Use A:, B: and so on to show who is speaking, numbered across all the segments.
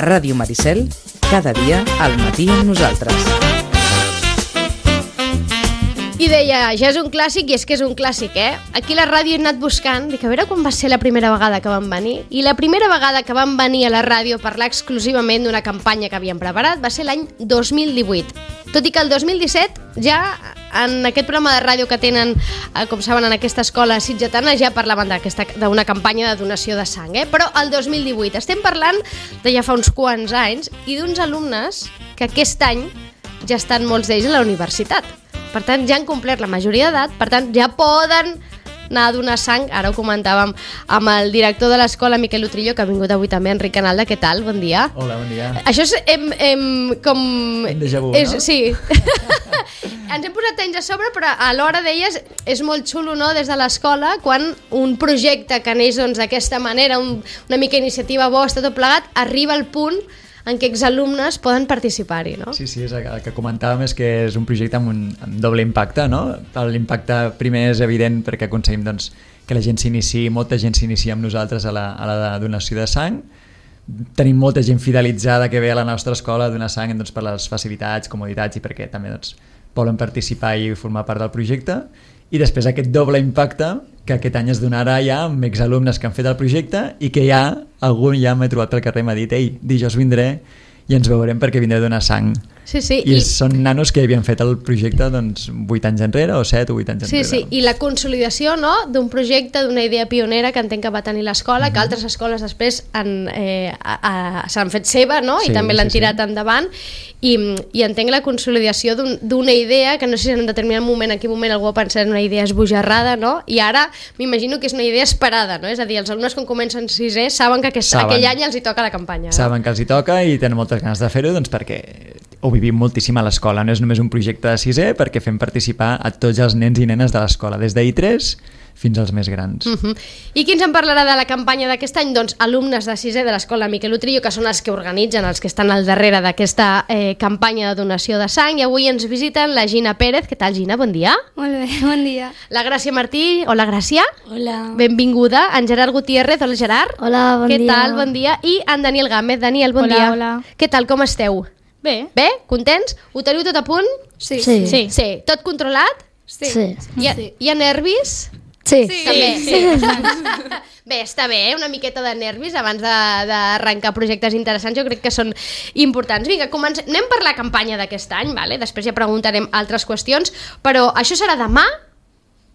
A: A Ràdio Maricel, cada dia al matí amb nosaltres.
B: I deia, ja és un clàssic, i és que és un clàssic, Aquí a la ràdio he anat buscant, dic, a veure quan va ser la primera vegada que van venir. I la primera vegada que van venir a la ràdio a parlar exclusivament d'una campanya que havien preparat va ser l'any 2018. Tot i que el 2017 ja en aquest programa de ràdio que tenen, com saben, en aquesta escola sitgetana, ja parlaven d'una campanya de donació de sang, Però el 2018 estem parlant de ja fa uns quants anys i d'uns alumnes que aquest any ja estan molts d'ells a la universitat. Per tant, ja han complert la majoria d'edat, per tant, ja poden anar a donar sang. Ara ho comentàvem amb el director de l'escola, Miquel Utrillo, que ha vingut avui també, Enric Canalda. Què tal? Bon dia.
C: Hola, bon dia.
B: Això és com...
C: Un déjà vu, no?
B: Sí. Ens hem posat anys a sobre, però alhora deies, és molt xulo, no?, des de l'escola, quan un projecte que neix d'aquesta manera, una mica iniciativa vostra, tot plegat, arriba al punt en què exalumnes poden participar-hi, no?
C: Sí, el que comentàvem és que és un projecte amb doble impacte, no? L'impacte primer és evident perquè aconseguim que la gent s'iniciï, molta gent s'inicia amb nosaltres a la donació de sang. Tenim molta gent fidelitzada que ve a la nostra escola a donar sang per les facilitats, comoditats i perquè també volen participar i formar part del projecte. I després aquest doble impacte que aquest any es donarà ja amb exalumnes que han fet el projecte i que algun ja m'he trobat pel carrer i m'ha dit ei, dijous vindré i ens veurem perquè vindré a donar sang.
B: Sí.
C: I són nanos que havien fet el projecte 8 anys enrere o 7 o 8 anys enrere.
B: Sí, i la consolidació, no?, d'un projecte, d'una idea pionera que entenc que va tenir l'escola, que altres escoles després s'han fet seva, no?, i també l'han tirat endavant, i entenc la consolidació d'una idea que no sé si en un determinat moment, en quin moment algú ha pensat en una idea esbojarrada, no?, i ara m'imagino que és una idea esperada, no?, és a dir, els alumnes quan comencen sisè saben que aquell any els hi toca la campanya.
C: Saben que els hi toca i tenen moltes ganes de fer-ho perquè ho vivim moltíssim a l'escola, no és només un projecte de sisè perquè fem participar a tots els nens i nenes de l'escola, des d'I3 fins als més grans.
B: I qui ens en parlarà de la campanya d'aquest any? Doncs alumnes de sisè de l'escola Miquel Utrillo, que són els que organitzen, els que estan al darrere d'aquesta campanya de donació de sang, i avui ens visiten la Gina Pérez. Què tal, Gina? Bon dia.
D: Molt bé, bon dia.
B: La Gràcia Martí. Hola, Gràcia.
D: Hola.
B: Benvinguda. En Gerard Gutiérrez. Hola, Gerard.
D: Hola, bon dia.
B: Què tal? Bon dia. I en Daniel Gámez. Daniel, bon dia.
D: Hola.
B: Què tal? Com esteu?
D: Bé.
B: Bé? Contents? Ho teniu tot a punt?
D: Sí.
B: Tot controlat?
D: Sí.
B: Hi ha nervis?
D: Sí.
B: També. Bé, està bé, una miqueta de nervis abans d'arrencar projectes interessants, jo crec que són importants. Vinga, anem per la campanya d'aquest any, vale? Després ja preguntarem altres qüestions, però això serà demà?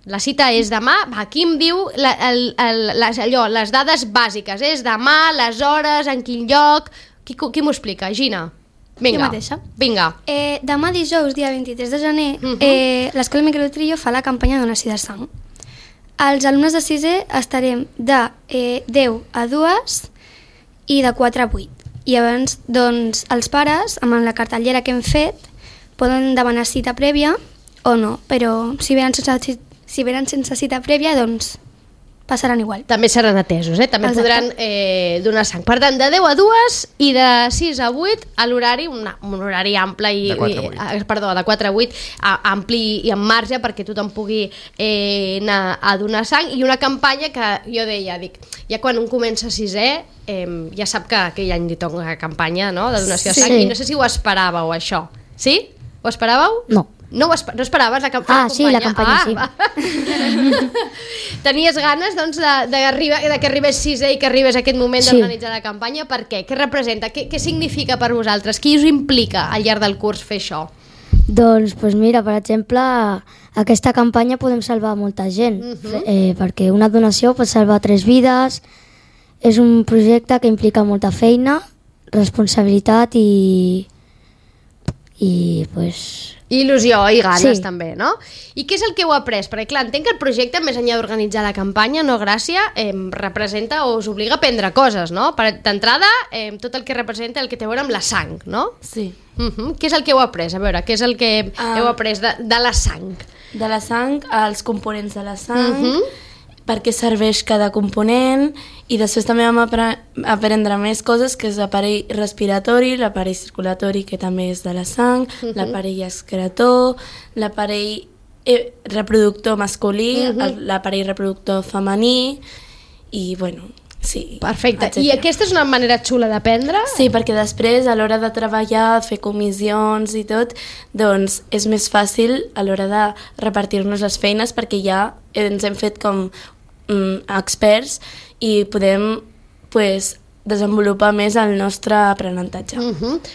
B: La cita és demà? Aquí em diu les dades bàsiques, és demà, les hores, en quin lloc... Qui m'ho explica? Gina? Vinga.
D: Jo mateixa.
B: Vinga.
D: Demà dijous, dia 23 de gener, l'escola Miquel Utrillo fa la campanya de donació de sang. Els alumnes de sisè estarem de 10 a 2 i de 4 a 8. I abans, doncs, els pares, amb la cartellera que hem fet, poden demanar cita prèvia o no, però si venen sense cita prèvia, doncs passaran igual.
B: També seran atesos, també
D: Exacte.
B: podran donar sang. Per tant, de 10 a 2 i de 6 a 8 a l'horari, un horari ample
C: De 4 a 8.
B: Perdó, de 4 a 8, ampli i amb marge perquè tothom pugui anar a donar sang, i una campanya que jo deia, ja quan un comença sisè ja sap que aquell any li toca campanya, no?, de donació de sang, i no sé si ho esperàveu, això. Sí? Ho esperàveu?
D: No.
B: No esperaves la campanya?
D: Sí, la campanya sí.
B: Tenies ganes, doncs, de que arribés sisè i que arribés aquest moment d'organitzar la campanya. Per què? Què representa? Què significa per vosaltres? Qui us implica al llarg del curs fer això?
E: Doncs mira, per exemple, aquesta campanya podem salvar molta gent, perquè una donació pot salvar 3 vides. És un projecte que implica molta feina, responsabilitat i pues...
B: Il·lusió i ganes,
E: Sí.
B: també, no? I què és el que heu après? Perquè, clar, entenc que el projecte, més enllà d'organitzar la campanya, no, Gràcia, representa o us obliga a aprendre coses, no? D'entrada, tot el que representa el que té a veure amb la sang, no?
F: Sí.
B: Què és el que heu après? A veure, què és el que heu après de la sang?
F: De la sang, els components de la sang, per què serveix cada component, i després també vam aprendre més coses, que és l'aparell respiratori, l'aparell circulatori, que també és de la sang, l'aparell excretor, l'aparell reproductor masculí, l'aparell reproductor femení, i bueno, Sí.
B: Perfecte.
F: etcètera.
B: I aquesta és una manera xula d'aprendre?
F: Sí, perquè després, a l'hora de treballar, fer comissions i tot, doncs és més fàcil a l'hora de repartir-nos les feines perquè ja ens hem fet com experts i podem pues, desenvolupar més el nostre aprenentatge.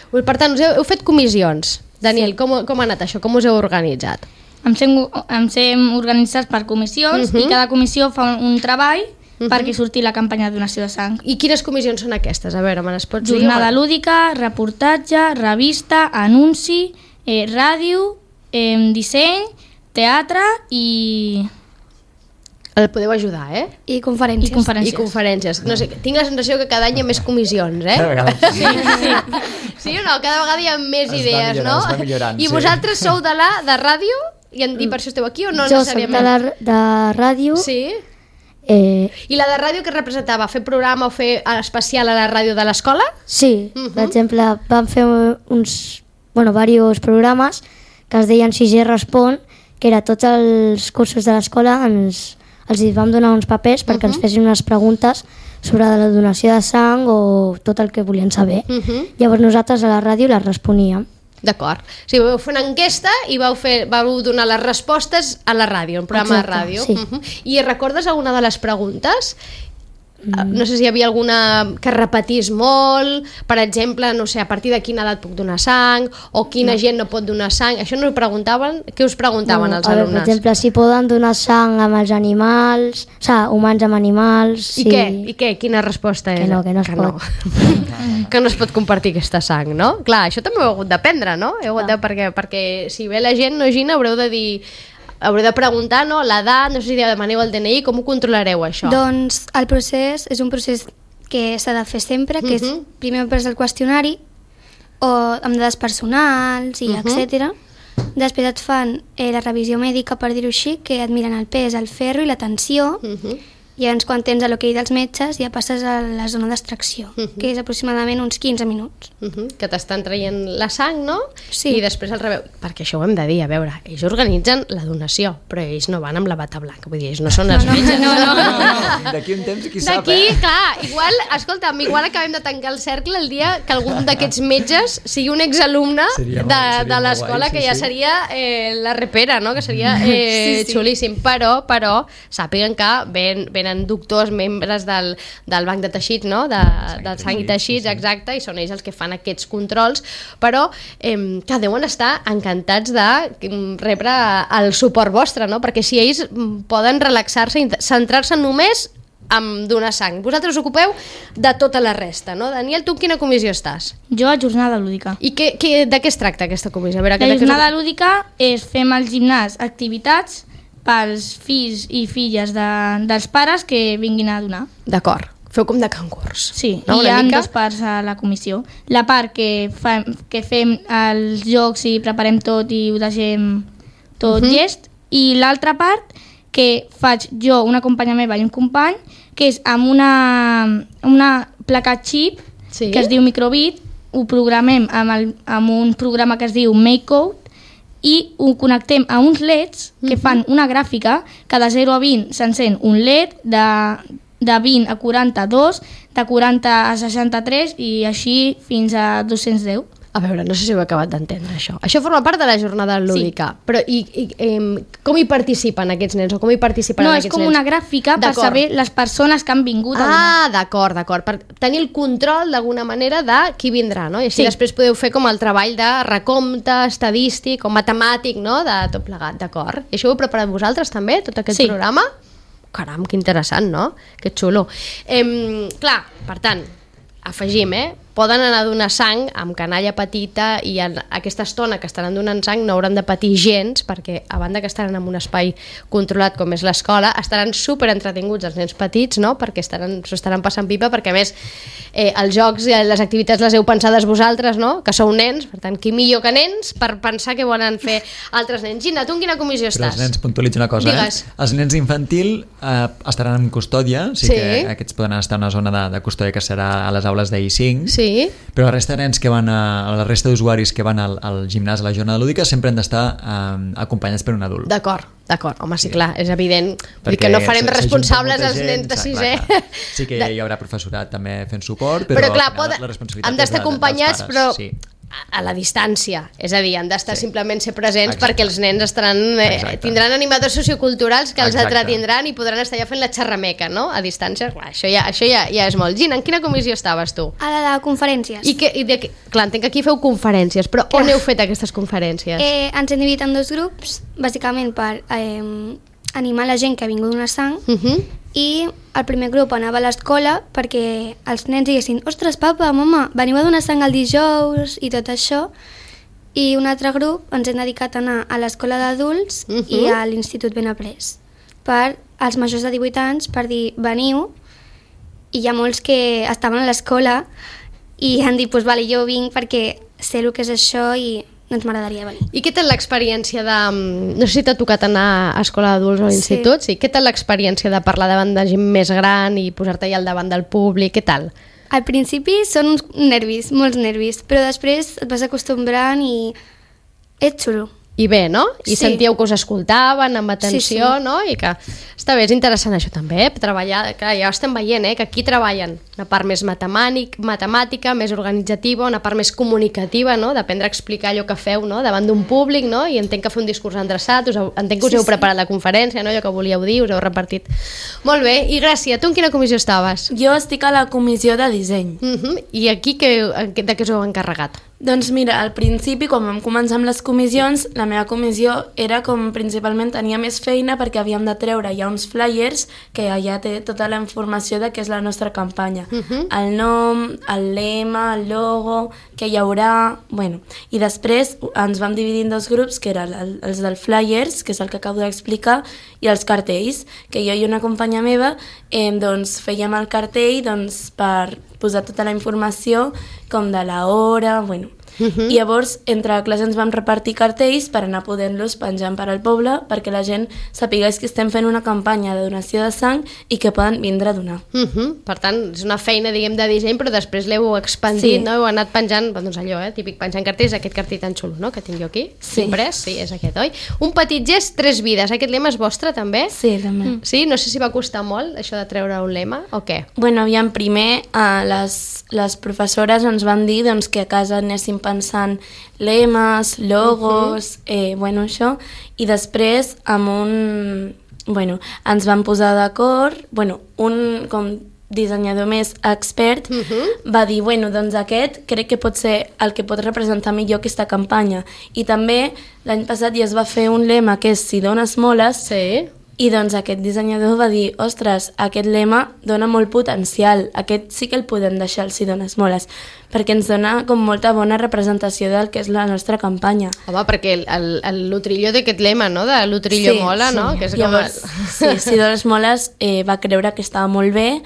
B: Per tant, heu fet comissions. Daniel, com ha anat això? Com us heu organitzat?
G: Ens hem organitzat per comissions i cada comissió fa un treball perquè surti la campanya de donació de sang.
B: I quines comissions són aquestes? A veure, me les pots dir?
G: Jornada lúdica, reportatge, revista, anunci, ràdio, disseny, teatre i...
B: El podeu ajudar, eh?
D: I conferències.
B: I conferències. No sé, tinc la sensació que cada any hi ha més comissions, eh?
C: Cada vegada.
B: Sí o no? Cada vegada hi ha més idees, no?
C: Es va millorant,
B: I
C: sí.
B: vosaltres sou de ràdio? I per això esteu aquí o no
E: Jo soc
B: necessàriament?
E: de ràdio.
B: Sí? I la de ràdio que representava? Fer programa o fer especial a la ràdio de l'escola?
E: Sí, per exemple, vam fer diversos programes que es deien 6G Respon, que era tots els cursos de l'escola, els vam donar uns papers perquè ens fessin unes preguntes sobre la donació de sang o tot el que volien saber. Llavors nosaltres a la ràdio les responíem.
B: D'acord. O sigui, vau fer una enquesta i vau donar les respostes a la ràdio, un programa de ràdio.
E: Sí.
B: I recordes alguna de les preguntes? No sé si hi havia alguna que repetís molt, per exemple, no sé, a partir de quina edat puc donar sang, o quina gent no pot donar sang. Això no ho preguntaven? Què us preguntaven els alumnes?
E: Per exemple, si poden donar sang amb els animals, o sigui, humans amb animals...
B: I què? Quina resposta és?
E: Que no es pot.
B: Que no es pot compartir aquesta sang, no? Clar, això també ho heu hagut d'aprendre, no? Perquè si ve la gent, no, Gina, haureu de preguntar, no? L'edat, no sé si demaneu el DNI, com ho controlareu, això?
D: Doncs el procés és un procés que s'ha de fer sempre, que és primer pres el qüestionari, o amb dades personals i etcètera. Després et fan la revisió mèdica, per dir-ho així, que et miren el pes, el ferro i la tensió, i llavors quan tens l'ok dels metges ja passes a la zona d'extracció, que és aproximadament uns 15 minuts.
B: Que t'estan traient la sang, no?
D: Sí.
B: I després el rebeu. Perquè això ho hem de dir, a veure, ells organitzen la donació, però ells no van amb la bata blanca, vull dir, ells no són els metges. No.
C: D'aquí un temps qui sap,
B: D'aquí, clar, igual acabem de tancar el cercle el dia que algun d'aquests metges sigui un exalumne
C: Seria
B: de
C: molt
B: l'escola,
C: guai,
B: que ja seria la repera, no? Que seria xulíssim. Però sàpiguen que venen doctors, membres del banc de teixits, no? Del sang i teixits, exacte, i són ells els que fan aquests controls, però que deuen estar encantats de rebre el suport vostre, no? Perquè si ells poden relaxar-se i centrar-se només en donar sang. Vosaltres us ocupeu de tota la resta, no? Daniel, tu en quina comissió estàs?
G: Jo a jornada lúdica.
B: I de què es tracta aquesta comissió? A veure,
G: La jornada lúdica és fem al gimnàs activitats pels fills i filles dels pares que vinguin a donar.
B: D'acord. Feu com de concurs.
G: Sí,
B: no?
G: i hi ha dues parts a la comissió. La part que fem els jocs i preparem tot i ho deixem tot llest, i l'altra part que faig jo, una companya meva i un company, que és amb una placa xip que es diu Microbit, ho programem amb un programa que es diu MakeCode, i ho connectem a uns LEDs que fan una gràfica que de 0 a 20 s'encén un LED, de 20 a 42, de 40 a 63 i així fins a 210.
B: A veure, no sé si ho he acabat d'entendre, això. Això forma part de la jornada lúdica, sí. Però com hi participen aquests nens? O com hi participen
G: no,
B: aquests nens?
G: No, és com una gràfica per saber les persones que han vingut a donar.
B: D'acord, per tenir el control d'alguna manera de qui vindrà, no? I així després podeu fer com el treball de recompte estadístic o matemàtic, no? De tot plegat, d'acord. I això ho heu preparat vosaltres també, tot aquest programa? Caram, que interessant, no? Que xulo. Clar, per tant, afegim, poden anar a donar sang amb canalla petita i en aquesta estona que estaran donant sang no hauran de patir gens, perquè a banda que estaran en un espai controlat com és l'escola, estaran super entretinguts els nens petits, no? Perquè s'ho estaran passant pipa, perquè a més els jocs i les activitats les heu pensades vosaltres, no? Que sou nens, per tant, qui millor que nens per pensar què volen fer altres nens. Gina, tu en quina comissió estàs?
C: Però els nens, puntualitzo una cosa,
B: Digues.
C: Els nens infantil estaran en custòdia, que aquests poden estar en una zona de custòdia que serà a les aules d'I5,
B: Sí.
C: Però la resta de nens que van la resta d'usuaris que van al gimnàs a la jornada lúdica sempre han d'estar acompanyats per un adult.
B: D'acord, home, sí, clar, és evident. Vull dir que no farem responsables els nens de 6è.
C: Sí que hi haurà professorat també fent suport, però
B: clar,
C: la responsabilitat
B: han d'estar acompanyats,
C: dels
B: però
C: pares, sí.
B: a la distància, és a dir, han d'estar simplement ser presents.
C: Exacte.
B: perquè els nens tindran animadors socioculturals que els entretindran i podran estar allà fent la xerrameca, no? A distància, clar, això ja és molt. Gina, en quina comissió estaves tu?
D: A la de conferències.
B: Clar, entenc que aquí feu conferències, però on heu fet aquestes conferències?
D: Ens hem dividit en 2 grups, bàsicament per animar la gent que ha vingut a donar sang, i el primer grup anava a l'escola perquè els nens diguessin: ostres, papa, mama, veniu a donar sang el dijous i tot això. I un altre grup ens hem dedicat a anar a l'escola d'adults i a l'Institut Benaprés per als majors de 18 anys, per dir: veniu. I hi ha molts que estaven a l'escola i han dit: pues vale, jo vinc perquè sé el que és això i doncs m'agradaria venir.
B: I què tal l'experiència de... No sé si t'ha tocat anar a escola d'adults o a l'institut, sí. Què tal l'experiència de parlar davant de gent més gran i posar-te allà al davant del públic, què tal?
D: Al principi són uns nervis, molts nervis, però després et vas acostumbrant i és xulo.
B: I bé, no? I
D: Sí.
B: sentíeu que us escoltaven amb atenció,
D: Sí.
B: no? I que està bé, és interessant això també, treballar, clar, ja estem veient, que aquí treballen una part més matemàtica, més organitzativa, una part més comunicativa, no? D'aprendre a explicar allò que feu, no? Davant d'un públic, no? I entenc que fer un discurs endreçat, entenc que us heu preparat la conferència, no? Allò que volíeu dir, us heu repartit. Molt bé, i Gràcia, tu en quina comissió estaves?
F: Jo estic a la comissió de disseny.
B: I aquí de què us heu encarregat?
F: Doncs mira, al principi, quan vam començar amb les comissions, la meva comissió era com principalment tenia més feina perquè havíem de treure ja uns flyers que allà té tota la informació de què és la nostra campanya. El nom, el lema, el logo, què hi haurà... Bueno, i després ens vam dividir en 2 grups, que eren els del flyers, que és el que acabo d'explicar, i els cartells, que jo i una companya meva doncs, fèiem el cartell doncs, per posar tota la informació com de l'hora, bueno. I llavors entre classes ens vam repartir cartells per anar podent-los penjant per al poble perquè la gent sapigués que estem fent una campanya de donació de sang i que poden vindre a donar.
B: Per tant, és una feina, diguem, de disseny, però després l'heu expandit,
F: Sí.
B: no? Heu anat penjant, doncs allò, típic, penjant cartells, aquest cartell tan xulo, no?, que tinc jo aquí,
F: Sí.
B: imprès, sí, és aquest, oi? Un petit gest, 3 vides, aquest lema és vostre, també?
F: Sí, també.
B: Sí? No sé si va costar molt, això de treure un lema, o què?
F: Bueno, aviam, primer les professores ens van dir doncs, que a casa anéssim pensant lemes, logos, bueno, això, i després amb ens vam posar d'acord, un com dissenyador més expert va dir, doncs aquest crec que pot ser el que pot representar millor aquesta campanya. I també l'any passat ja es va fer un lema que és si dones moles,
B: Sí.
F: i doncs aquest dissenyador va dir, ostres, aquest lema dona molt potencial, aquest sí que el podem deixar, el si dones moles, perquè ens dona com molta bona representació del que és la nostra campanya.
B: Home, perquè l'Utrillo té aquest lema, no?, de l'Utrillo mola, no?, que és
F: Llavors, si dones moles va creure que estava molt bé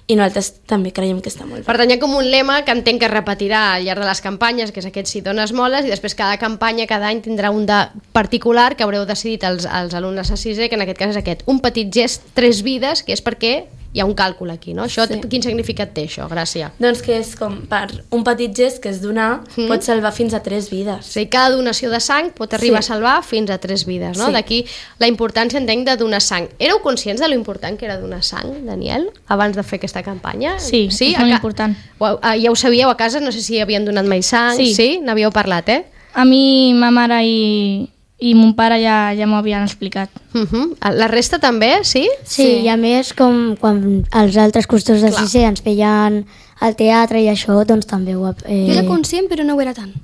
F: i nosaltres també creiem que està molt bé.
B: Per tant, hi ha com un lema que entenc que es repetirà al llarg de les campanyes, que és aquest si dones moles, i després cada campanya, cada any, tindrà un de particular que haureu decidit els alumnes a 6è, que en aquest cas és aquest, un petit gest, 3 vides, que és perquè hi ha un càlcul aquí, no? Això,
F: Sí.
B: Quin significat té això, Gràcia?
F: Doncs que és com per un petit gest que és donar, pot salvar fins a 3 vides.
B: O sigui, cada donació de sang pot arribar a salvar fins a 3 vides, no?
F: Sí.
B: D'aquí la importància, entenc, de donar sang. Éreu conscients de lo important que era donar sang, Daniel, abans de fer aquesta campanya?
G: Sí, és molt important.
B: Ja ho sabíeu a casa? No sé si havien donat mai sang.
G: Sí.
B: N'havíeu parlat,
G: A mi, ma mare i mon pare ja m'ho havien explicat.
B: La resta també, sí?
E: Sí, i a més, com quan els altres costors de 6è ens feien al teatre i això, doncs també ho...
D: Jo era conscient, però no ho era tant.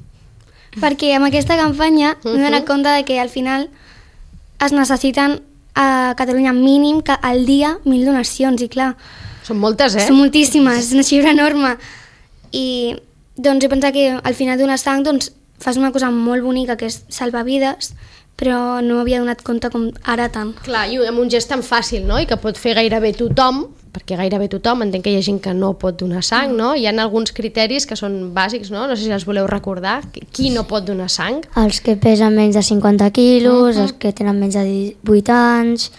D: Perquè amb aquesta campanya m'he donat compte de que al final es necessiten a Catalunya mínim que al dia 1.000 donacions, i clar,
B: Són moltes,
D: són moltíssimes, és una xifra enorme. I doncs he pensat que al final donar sang doncs, fas una cosa molt bonica que és salvar vides, però no m'havia donat compte com ara tant.
B: Clar, i amb un gest tan fàcil, no?, i que pot fer gairebé tothom, perquè gairebé tothom, entenc que hi ha gent que no pot donar sang, no? Hi ha alguns criteris que són bàsics, no? No sé si els voleu recordar. Qui no pot donar sang?
E: Els que pesen menys de 50 quilos, els que tenen menys de 18 anys,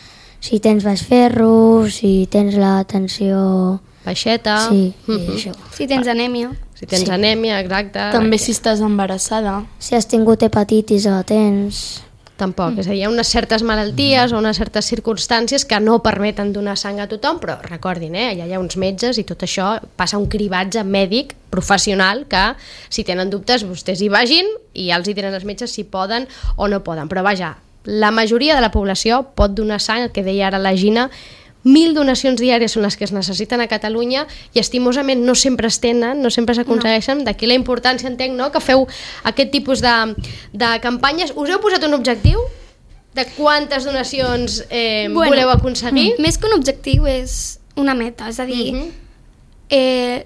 E: si tens baix ferro, si tens la tensió...
B: Baixeta...
E: Sí, i això.
D: Si tens anèmia.
B: Si tens anèmia, exacte.
F: També si estàs embarassada.
E: Si has tingut hepatitis o la tens...
B: Tampoc, és a dir, hi ha unes certes malalties o unes certes circumstàncies que no permeten donar sang a tothom, però recordin, allà hi ha uns metges i tot això passa un cribatge mèdic professional que, si tenen dubtes, vostès hi vagin i ja els hi tenen els metges si poden o no poden. Però vaja, la majoria de la població pot donar sang, el que deia ara la Gina, 1.000 donacions diàries són les que es necessiten a Catalunya i estimosament no sempre es tenen, no sempre s'aconsegueixen, d'aquí la importància, entenc, no?, que feu aquest tipus de campanyes. Us heu posat un objectiu de quantes donacions voleu aconseguir?
D: Més que un objectiu és una meta, és a dir,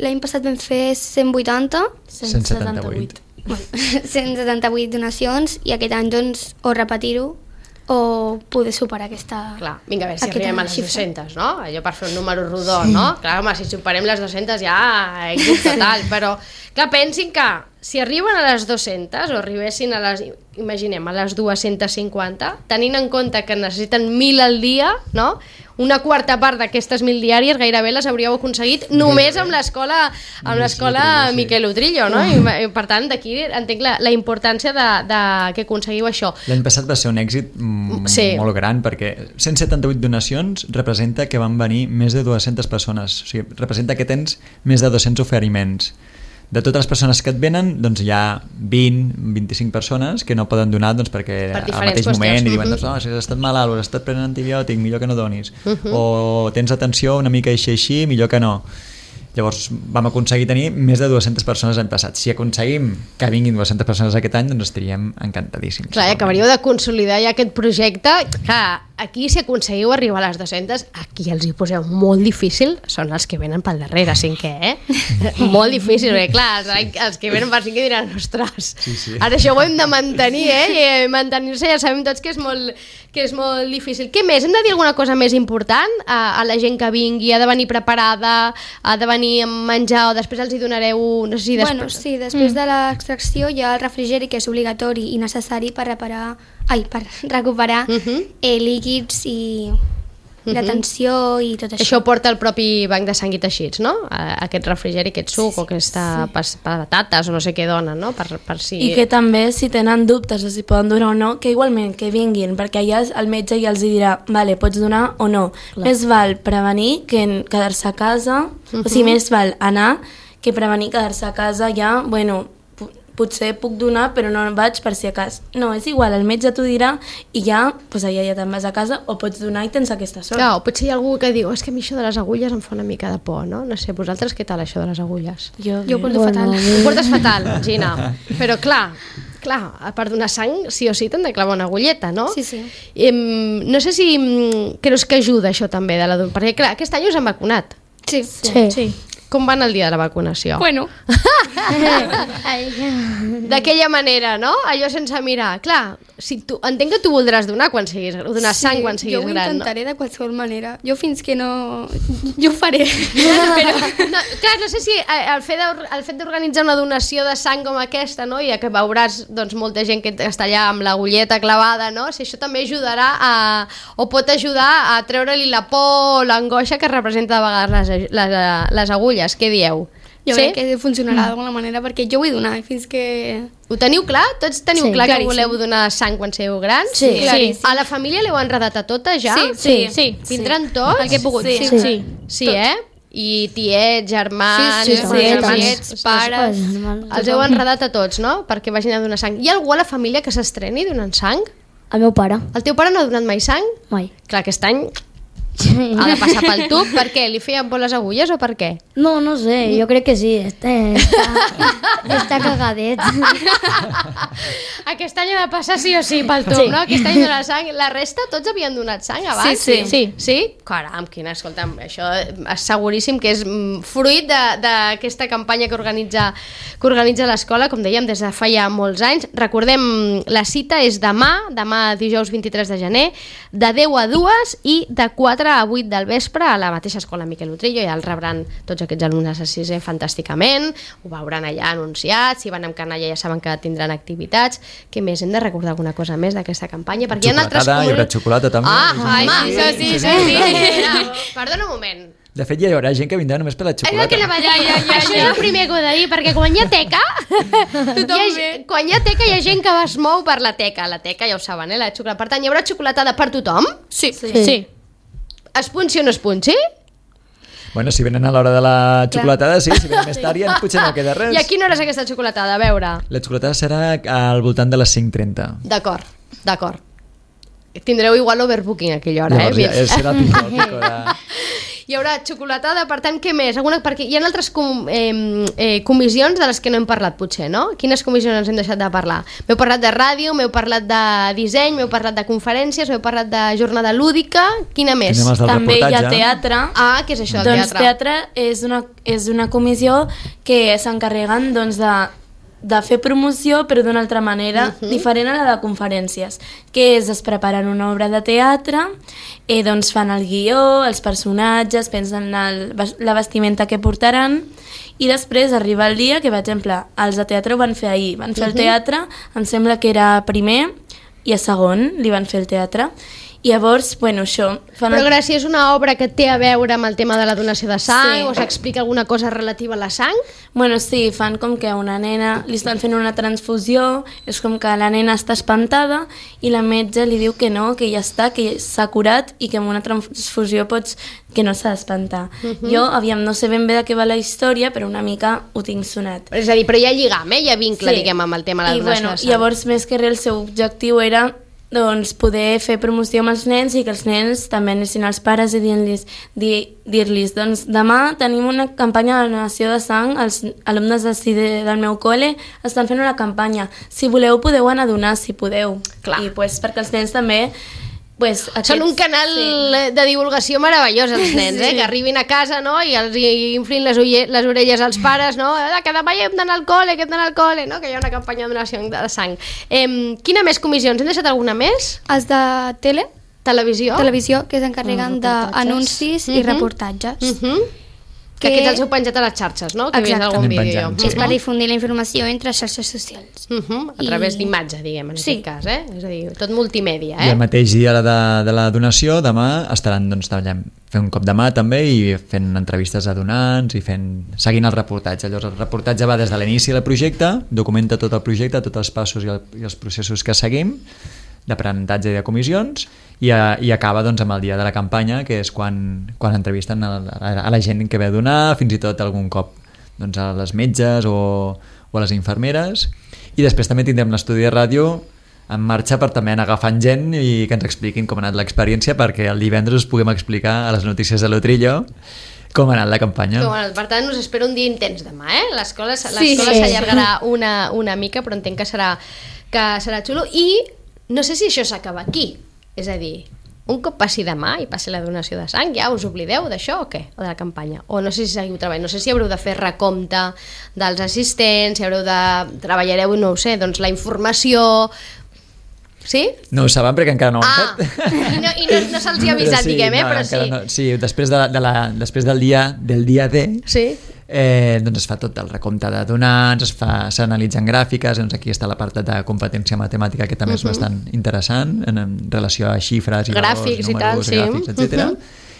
D: l'any passat vam fer 180,
C: 178.
D: 178 donacions i aquest any doncs o repetir-ho o poder superar aquesta...
B: Clar, vinga, a veure si arribem a les 200, no? Allò per fer un número rodó, no? Clar, home, si superem les 200 ja èxit total, però clar, pensin que si arriben a les 200 o arribessin a les, imaginem, a les 250, tenint en compte que necessiten 1.000 al dia, no? Una quarta part d'aquestes 1.000 diàries gairebé les hauríeu aconseguit només amb l'escola Miquel Utrillo, no? I per tant, d'aquí entenc la importància de que aconseguiu això.
C: L'any passat va ser un èxit molt gran perquè 178 donacions representa que van venir més de 200 persones, o sigui, representa que tens més de 200 oferiments. De totes les persones que et venen, doncs hi ha 20-25 persones que no poden donar doncs, perquè al mateix moment i diuen, doncs, no, si has estat malalt o has estat prenent antibiòtic, millor que no donis. O tens atenció una mica així, millor que no. Llavors vam aconseguir tenir més de 200 persones l'any passat. Si aconseguim que vinguin 200 persones aquest any, doncs estaríem encantadíssims.
B: Clar, acabaríeu de consolidar ja aquest projecte. Clar, aquí si aconseguiu arribar a les 200, aquí els hi poseu molt difícil, són els que venen pel darrere, cinquè, molt difícil, perquè clar, els que venen per cinquè diran, ostres, ara això ho hem de mantenir, i mantenir-se ja sabem tots que és molt difícil. Què més? Hem de dir alguna cosa més important a la gent que vingui? Ha de venir preparada, ha de venir amb menjar o després els hi donareu... No sé si després...
D: Bueno, sí, després de l'extracció hi ha el refrigeri que és obligatori i necessari per recuperar líquids i la tensió i tot això.
B: Això porta el propi banc de sang i teixits, no? Aquest refrigeri, aquest suc o aquesta patates o no sé què donen, no? Per si...
F: I que també si tenen dubtes de si poden donar o no, que igualment que vinguin, perquè allà el metge ja els dirà, vale, pots donar o no. Més val prevenir que quedar-se a casa, o sigui, més val anar que prevenir quedar-se a casa ja, bueno, potser puc donar però no vaig per si a cas. No, és igual, el metge t'ho dirà i ja, doncs allà ja te'n vas a casa o pots donar i tens aquesta sort.
B: Clar, o potser hi ha algú que diu, és que a mi això de les agulles em fa una mica de por, no? No sé, vosaltres què tal això de les agulles?
F: Jo ho porto
D: fatal.
B: Ho portes fatal, Gina. Però clar, per donar sang sí o sí t'han de clavar una agulleta, no?
D: Sí, sí.
B: No sé si creus que ajuda això també, perquè clar, aquest any us han vacunat.
D: Sí.
B: Com van el dia de la vacunació?
D: Bueno.
B: D'aquella manera, no? Allò sense mirar. Clar, entenc que tu voldràs donar sang quan siguis gran, no?
D: Jo ho intentaré de qualsevol manera. Jo fins que no... Jo ho faré.
B: Però, clar, no sé si el fet d'organitzar una donació de sang com aquesta, no? I que veuràs doncs, molta gent que està allà amb l'agulleta clavada, no? Si això també ajudarà o pot ajudar a treure-li la por o l'angoixa que representa de vegades les agulles. Què dieu?
D: Jo crec que funcionarà d'alguna manera perquè jo vull donar fins que...
B: Ho teniu clar? Tots teniu clar que voleu donar sang quan sigueu grans?
E: Sí.
B: A la família l'heu enredat a tota ja?
G: Sí.
B: Vindran tots?
D: El que he pogut.
B: Sí, I tiets, germans,
D: germanets, pares...
B: Els heu enredat a tots, no? Perquè vagin a donar sang. Hi ha algú a la família que s'estreni donant sang?
E: El meu pare.
B: El teu pare no ha donat mai sang?
E: Mai.
B: Clar, aquest any ha de passar pel tub. Per què? Li feien por les agulles o per què?
E: No sé, jo crec que sí. Està cagadet.
B: Aquest any ha de passar sí o sí pel tub, no? Aquest any dona sang. La resta, tots havien donat sang abans?
G: Sí.
B: Caram, escolta'm, això és seguríssim que és fruit d'aquesta campanya que organitza l'escola, com dèiem, des de fa ja molts anys. Recordem, la cita és demà dijous 23 de gener, de 10 a 2 i de 4 a 8 del vespre a la mateixa escola Miquel Utrillo. Ja el rebran tots aquests alumnes a 6è fantàsticament, ho veuran allà anunciat, si van amb canalla ja saben que tindran activitats. Què més? Hem de recordar alguna cosa més d'aquesta campanya? Perquè hi ha altres
C: hi haurà xocolata també.
B: Sí. Perdona un moment.
C: De fet, ja hi haurà gent que vindrà només per la
B: És el
C: xocolata.
B: que anava a dir. Això és el primer que ho he de dir, perquè quan hi ha teca, quan hi ha teca hi ha gent que es mou per la teca. La teca, ja ho saben, la xocolata. Per tant, hi haurà xocolatada per tothom?
F: Sí.
B: Es punxi o no es punxi?
C: Bueno, si venen a l'hora de la xocolatada, sí, si venen més tard ja potser no queda res.
B: I a quina hora és aquesta xocolatada? A veure.
C: La xocolatada serà al voltant de les 5:30.
B: D'acord. Tindreu igual overbooking a aquella hora,
C: Llavors, ja serà el pico de...
B: Hi haurà xocolatada, per tant, què més? Perquè hi ha altres comissions de les que no hem parlat, potser, no? Quines comissions ens hem deixat de parlar? M'heu parlat de ràdio, m'heu parlat de disseny, m'heu parlat de conferències, m'heu parlat de jornada lúdica, quina més?
F: També hi ha teatre.
B: Ah, què és això, el
F: teatre? Doncs teatre és una comissió que s'encarreguen de fer promoció però d'una altra manera diferent a la de conferències, que és es preparen una obra de teatre, doncs fan el guió, els personatges, pensen la vestimenta que portaran i després arriba el dia que, per exemple, els de teatre ho van fer ahir, van fer el teatre, em sembla que era primer i a segon li van fer el teatre. I llavors, bueno, això...
B: Però Gràcia, és una obra que té a veure amb el tema de la donació de sang o s'explica alguna cosa relativa a la sang?
F: Bueno, sí, fan com que una nena li estan fent una transfusió, és com que la nena està espantada i la metge li diu que no, que ja està, que s'ha curat i que amb una transfusió que no s'ha d'espantar. Jo, no sé ben bé de què va la història, però una mica ho tinc sonat.
B: És a dir, però hi ha lligam, hi ha vincle, diguem, amb el tema de la donació de sang.
F: I llavors, més que res, el seu objectiu era poder fer promoció amb els nens i que els nens també anessin als pares i dir-los doncs demà tenim una campanya de donació de sang, els alumnes del meu col·le estan fent una campanya, si voleu podeu anar a donar, si podeu.
B: Clar.
F: I perquè els nens també
B: són un canal de divulgació meravellós, els nens, que arribin a casa, no? I els inflin les orelles als pares, no? Que demà hi hem d'anar al col·le, no? Que hi ha una campanya de donació de sang. Quina més comissions? Hem deixat alguna més?
D: Els de
B: Televisió,
D: que s'encarreguen d'anuncis i reportatges.
B: Que aquests els heu penjat a les xarxes, no? Que
D: exacte.
B: Algun vídeo.
D: És per difundir la informació entre xarxes socials.
B: A través d'imatge, diguem, en aquest cas, És a dir, tot multimèdia,
C: I el mateix dia de la donació, demà estaran fent un cop de mà també i fent entrevistes a donants i seguint el reportatge. Llavors el reportatge va des de l'inici del projecte, documenta tot el projecte, tots els passos i els processos que seguim d'aprenentatge i de comissions i acaba amb el dia de la campanya, que és quan entrevisten a la gent que ve a donar, fins i tot algun cop a les metges o a les infermeres, i després també tindrem l'estudi de ràdio en marxa per també anar agafant gent i que ens expliquin com ha anat l'experiència, perquè el divendres us puguem explicar a les notícies de l'Otrillo com ha anat la campanya.
B: Per tant, us espero un dia intens demà, L'escola s'allargarà una mica, però entenc que serà xulo. I no sé si això s'acaba aquí, és a dir, un cop passi demà i passi la donació de sang, ja us oblideu d'això o què? O de la campanya? O no sé si seguiu treballant, no sé si haureu de fer recompte dels assistents, si treballareu, no ho sé, doncs la informació... Sí?
C: No ho saben perquè encara no ho han fet.
B: I no se'ls hi ha avisat, diguem, però sí.
C: No. Sí, després del dia D, doncs es fa tot el recompte de donants, s'analitzen gràfiques, aquí està la part de competència matemàtica que també és bastant interessant en relació a xifres i
B: gràfics,
C: números, gràfics, etc.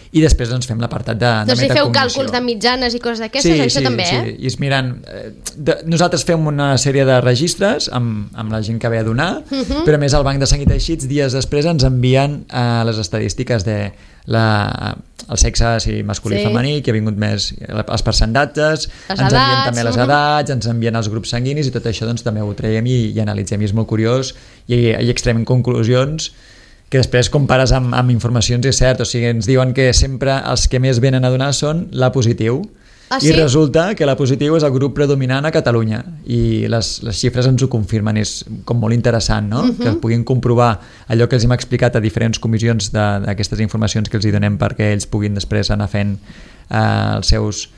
C: I després fem l'apartat de
B: metacognició. Si feu càlculs de mitjanes i coses d'aquestes, això també,
C: i es miren... Nosaltres fem una sèrie de registres amb la gent que ve a donar, però a més el Banc de Sang i Teixits dies després ens envien les estadístiques de el sexe masculí i femení, que ha vingut més els percentatges, ens envien també les edats, ens envien els grups sanguinis i tot això també ho traiem i analitzem, i és molt curiós i extremem conclusions que després compares amb informacions i és cert, o sigui, ens diuen que sempre els que més venen a donar són l'A positiu, i resulta que l'A positiu és el grup predominant a Catalunya i les xifres ens ho confirmen, és com molt interessant, no? Que puguin comprovar allò que els hem explicat a diferents comissions d'aquestes informacions que els hi donem perquè ells puguin després anar fent els seus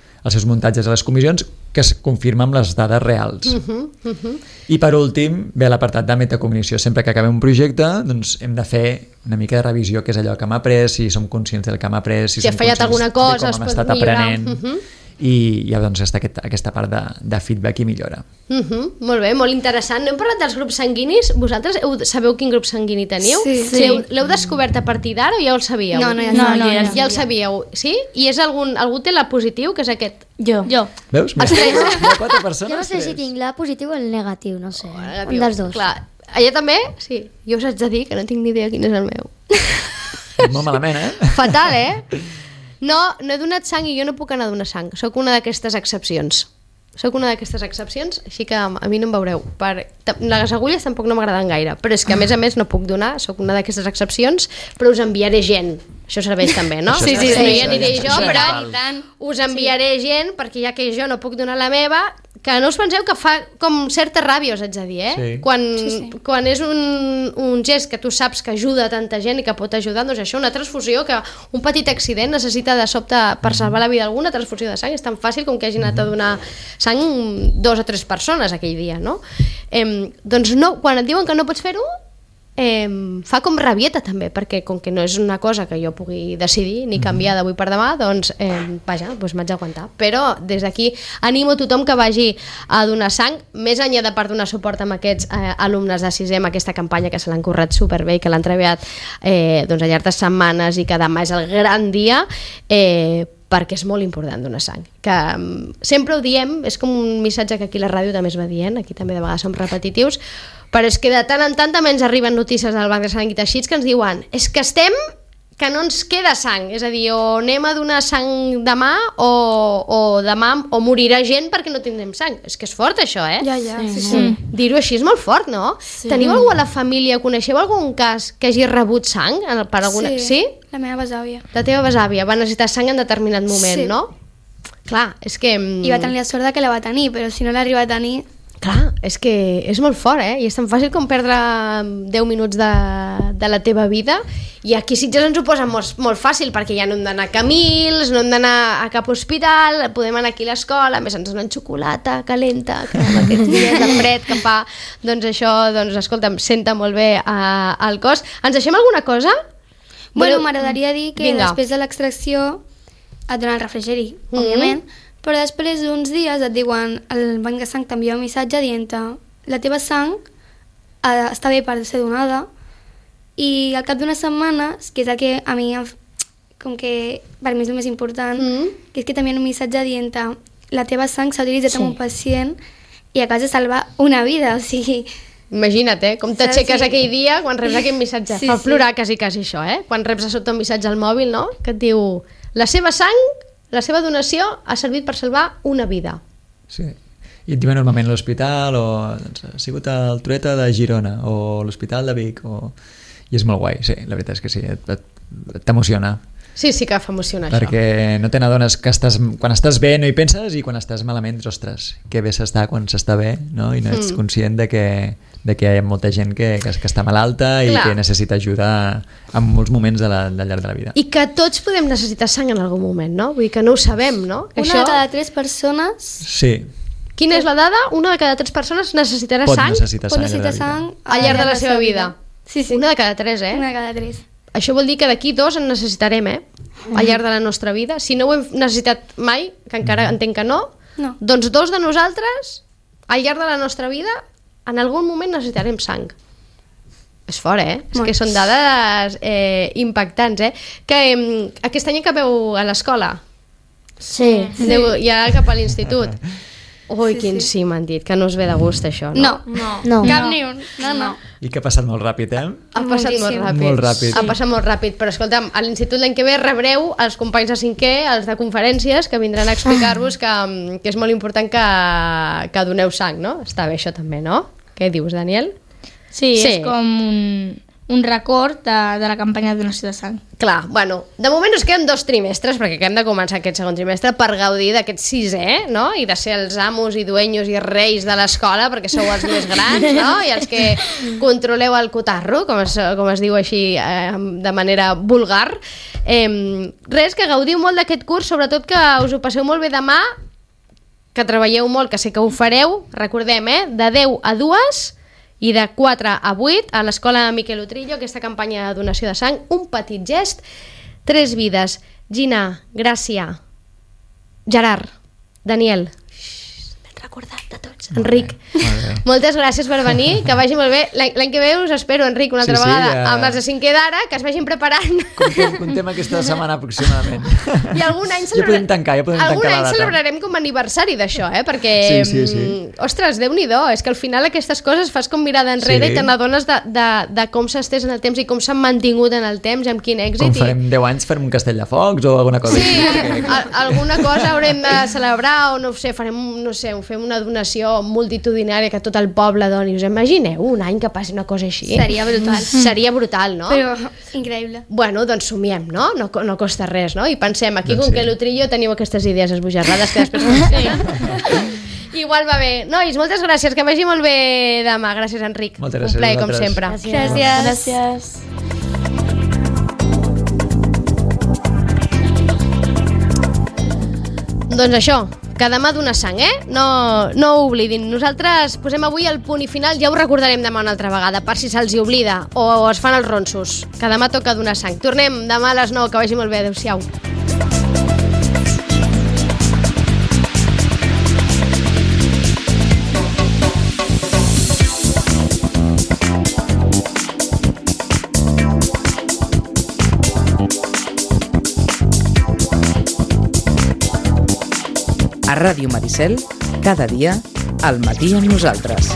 C: muntatges a les comissions, que es confirma amb les dades reals. I per últim ve l'apartat de metacognició. Sempre que acabem un projecte doncs hem de fer una mica de revisió, que és allò que hem après, si som conscients del que hem après, si
B: ha fallat alguna cosa,
C: de com hem estat aprenent. i ja doncs està aquesta part de feedback i millora.
B: Molt bé, molt interessant. No hem parlat dels grups sanguinis. Vosaltres sabeu quin grup sanguini teniu?
D: Sí.
B: L'heu descobert a partir d'ara o ja el sabíeu?
D: No,
B: ja el sabíeu, sí? I és algú té la positiu, que és aquest?
F: Jo.
C: Veus? Mira, hi ha 4 persones.
E: Jo no sé si tinc la positiu o el negatiu, no sé.
B: Negatiu.
E: Un dels dos.
B: Clar. Allà també? Sí. Jo us haig de dir que no tinc ni idea quin és el meu.
C: Molt malament,
B: Fatal, No he donat sang i jo no puc anar a donar sang. Soc una d'aquestes excepcions. Així que a mi no em veureu. Les agulles tampoc no m'agraden gaire, però és que a més no puc donar, soc una d'aquestes excepcions, però us enviaré gent. Això serveix també, no?
C: Sí,
B: no hi aniré jo,
C: això
B: però
C: val.
B: us enviaré gent, perquè ja que jo no puc donar la meva, que no us penseu que fa com certa ràbia, us haig de dir,
C: Sí.
B: Quan és un gest que tu saps que ajuda a tanta gent i que pot ajudar, doncs això, una transfusió, que un petit accident necessita de sobte per salvar la vida d'alguna transfusió de sang, és tan fàcil com que hagi anat a donar sang 2 o 3 persones aquell dia, no? Doncs no, quan et diuen que no pots fer-ho, fa com rabieta també, perquè com que no és una cosa que jo pugui decidir ni canviar d'avui per demà, doncs vaja, doncs m'haig d'aguantar. Però des d'aquí animo tothom que vagi a donar sang, més enllà de per donar suport amb aquests alumnes de 6è, amb aquesta campanya que se l'han currat superbé i que l'han treballat doncs, al llarg de setmanes i que demà és el gran dia, perquè és molt important donar sang. Que sempre ho diem, és com un missatge que aquí a la ràdio també es va dient, aquí també de vegades som repetitius, però és que de tant en tant també ens arriben notícies del Banc de Sang i Teixits que ens diuen que no ens queda sang, és a dir, o anem a donar sang demà o demà o morirà gent perquè no tindrem sang. És que és fort això,
D: Ja,
F: Sí.
B: Dir-ho així és molt fort, no?
F: Sí.
B: Teniu algú a la família, coneixeu algun cas que hagi rebut sang? Per alguna... Sí?
D: La meva besàvia.
B: La teva besàvia va necessitar sang en determinat moment,
D: Sí.
B: no? Clar, és que...
D: I va tenir la sort de que la va tenir, però si no l'arriba a tenir...
B: Clar, és que és molt fort, I és tan fàcil com perdre 10 minuts de la teva vida, i aquí Sitges ens ho posa molt fàcil, perquè ja no hem d'anar a Camils, no hem d'anar a cap hospital, podem anar aquí a l'escola, a més ens donen xocolata calenta, que amb aquests dies de fred que fa, doncs això, doncs escolta, em senta molt bé al cos. Ens deixem alguna cosa?
D: Bueno, m'agradaria dir que
B: Vinga.
D: després de l'extracció et donen el refrigeri, òbviament, però després d'uns dies et diuen, el banc de sang t'envia un missatge dient-te la teva sang està bé per ser donada, i al cap d'unes setmanes, que és el que a mi, com que per mi és el més important, que és que t'envien un missatge dient-te la teva sang s'ha utilitzat amb un pacient i acabes de salvar una vida, o sigui...
B: Imagina't, com t'aixeques aquell dia quan reps aquest missatge.
D: Sí,
B: Fa
D: sí.
B: plorar quasi això, quan reps a sota un missatge al mòbil, no? Que et diu, la seva sang, la seva donació ha servit per salvar una vida.
C: Sí. I et diuen normalment a l'hospital o doncs, ha sigut el Trueta de Girona o l'Hospital de Vic i és molt guai, sí, la veritat és que sí, t'emociona.
B: Sí, sí que fa emocionar això.
C: Perquè no te n'adones que quan estàs bé no hi penses i quan estàs malament, ostres, que bé s'està quan s'està bé, no? I no ets conscient de que hi ha molta gent que està malalta i que necessita ajuda en molts moments del llarg de la vida.
B: I que tots podem necessitar sang en algun moment, no? Vull dir que no ho sabem, no? Que
D: Una de cada 3 persones
C: Sí.
B: Quina és la dada? Una de cada 3 persones necessitarà
C: Pot
B: sang
C: necessitar
D: pot
C: sang
D: necessitar sang
B: al llarg de la seva vida.
D: Sí, sí.
B: Una de cada 3,
D: Una de cada 3.
B: Això vol dir que d'aquí 2 en necessitarem, al llarg de la nostra vida. Si no ho hem necessitat mai, que encara entenc que no, doncs 2 de nosaltres, al llarg de la nostra vida, en algun moment necessitarem sang. És fort, És que són dades impactants, Que aquest any acabeu a l'escola?
E: Sí.
B: Aneu ja cap a l'institut? Ui, quin sí m'han dit, que no us ve de gust això, no?
E: No.
D: Cap ni un. No.
C: I que ha passat molt ràpid,
B: Ha passat molt
D: Moltíssim.
B: ràpid.
C: Molt ràpid.
B: Ha passat molt ràpid, però escolta'm, a l'institut l'any que ve rebreu els companys de 5è, els de conferències, que vindran a explicar-vos que és molt important que doneu sang, no? Està bé això també, no? Què dius, Daniel?
G: Sí, és com un record de la campanya de donació de sang.
B: Clar, bueno, de moment us queden 2 trimestres, perquè acabem de començar aquest segon trimestre per gaudir d'aquest 6è, no? I de ser els amos i dueños i reis de l'escola, perquè sou els més grans, no? I els que controleu el cotarro, com es diu així de manera vulgar. Res, que gaudiu molt d'aquest curs, sobretot que us ho passeu molt bé demà, que treballeu molt, que sé que ho fareu, recordem, de 10 a 2 i de 4 a 8 a l'escola Miquel Utrillo, aquesta campanya de donació de sang, un petit gest, 3 vides. Gina, Gràcia, Gerard, Daniel. Recordat de tots. Enric, moltes gràcies per venir, que vagi molt bé. L'any que ve us espero, Enric, una altra vegada, amb els de 5è d'ara, que es vagin preparant.
C: Contem aquesta setmana aproximadament.
B: I algun any
C: ja podem tancar la data.
B: Celebrarem com a aniversari d'això, perquè,
C: sí.
B: Ostres, Déu-n'hi-do, és que al final aquestes coses fas com mirada enrere i te n'adones de com s'estès en el temps i com s'han mantingut en el temps, amb quin èxit.
C: Com farem 10 anys, farem un castell de focs o alguna cosa
B: així. Sí, alguna cosa haurem de celebrar o no sé, fem una donació multitudinària que tot el poble doni. Us imagineu un any que passi una cosa així?
D: Seria brutal.
B: Seria brutal, no?
D: Però increïble.
B: Bueno, doncs somiem, no? No costa res, no? I pensem, aquí com que l'Utrillo teniu aquestes idees esbojarrades que després igual va bé. Nois, moltes gràcies, que vagi molt bé demà. Gràcies, Enric.
C: Moltes gràcies.
B: Un plaer, com sempre.
D: Gràcies.
B: Doncs això, que demà dona sang, No ho oblidin. Nosaltres posem avui el punt i final, ja ho recordarem demà una altra vegada, per si se'ls oblida o es fan els ronsos, que demà toca donar sang. Tornem demà a les 9, que vagi molt bé. Adéu-siau.
A: A Ràdio Maricel, cada dia, al matí amb nosaltres.